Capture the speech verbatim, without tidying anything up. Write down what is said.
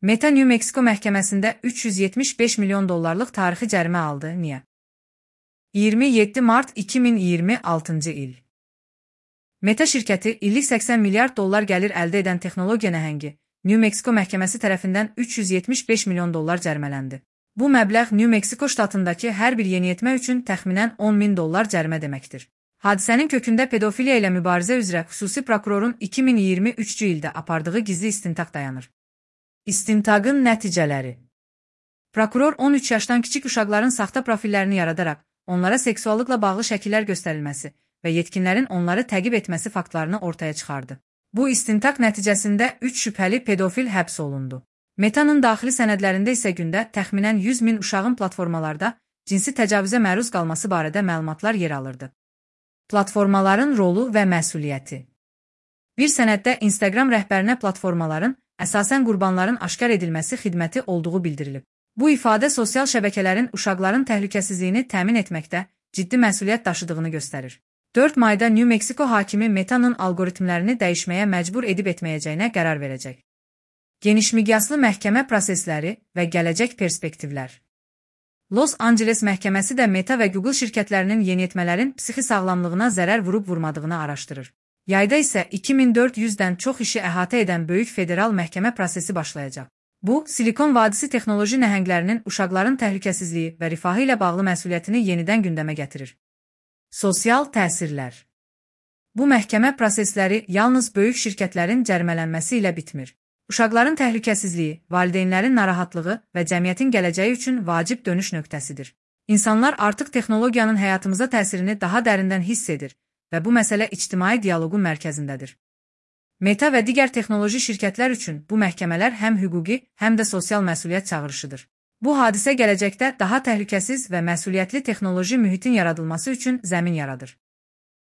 Meta New Mexico məhkəməsində üç yüz yetmiş beş milyon dollarlıq tarixi cərimə aldı. Niyə? iyirmi yeddi mart iki min iyirmi altıncı il. Meta şirkəti illik səksən milyard dollar gəlir əldə edən texnologiya nəhəngi New Mexico məhkəməsi tərəfindən üç yüz yetmiş beş milyon dollar cərimələndi. Bu məbləğ New Mexico ştatındakı hər bir yeniyetmə üçün təxminən on min dollar cərimə deməkdir. Hadisənin kökündə pedofiliya ilə mübarizə üzrə xüsusi prokurorun iki min iyirmi üçüncü ildə apardığı gizli istintaq dayanır. İstintaqın nəticələri. Prokuror on üç yaşdan kiçik uşaqların saxta profillərini yaradaraq, onlara seksuallıqla bağlı şəkillər göstərilməsi və yetkinlərin onları təqib etməsi faktlarını ortaya çıxardı. Bu istintaq nəticəsində üç şübhəli pedofil həbs olundu. Meta'nın daxili sənədlərində isə gündə təxminən yüz min uşağın platformalarda cinsi təcavüzə məruz qalması barədə məlumatlar yer alırdı. Platformaların rolu və məsuliyyəti. Bir sənəddə Instagram rəhbərinə platformaların əsasən qurbanların aşkar edilməsi xidməti olduğu bildirilib. Bu ifadə sosial şəbəkələrin uşaqların təhlükəsizliyini təmin etməkdə ciddi məsuliyyət daşıdığını göstərir. dörd mayda New Mexico hakimi Meta'nın alqoritmlərini dəyişməyə məcbur edib etməyəcəyinə qərar verəcək. Genişmiqyaslı məhkəmə prosesləri və gələcək perspektivlər. Los Angeles məhkəməsi də Meta və Google şirkətlərinin yeniyetmələrin psixi sağlamlığına zərər vurub-vurmadığını araşdırır. Yayda isə iki min dörd yüzdən çox işi əhatə edən böyük federal məhkəmə prosesi başlayacaq. Bu, Silikon Vadisi texnoloji nəhənglərinin uşaqların təhlükəsizliyi və rifahı ilə bağlı məsuliyyətini yenidən gündəmə gətirir. Sosial təsirlər. Bu məhkəmə prosesləri yalnız böyük şirkətlərin cərimələnməsi ilə bitmir. Uşaqların təhlükəsizliyi, valideynlərin narahatlığı və cəmiyyətin gələcəyi üçün vacib dönüş nöqtəsidir. İnsanlar artıq texnologiyanın həyatımıza təsirini daha dərindən hiss edir və bu məsələ ictimai dialoqun mərkəzindədir. Meta və digər texnoloji şirkətlər üçün bu məhkəmələr həm hüquqi, həm də sosial məsuliyyət çağırışıdır. Bu hadisə gələcəkdə daha təhlükəsiz və məsuliyyətli texnoloji mühitin yaradılması üçün zəmin yaradır.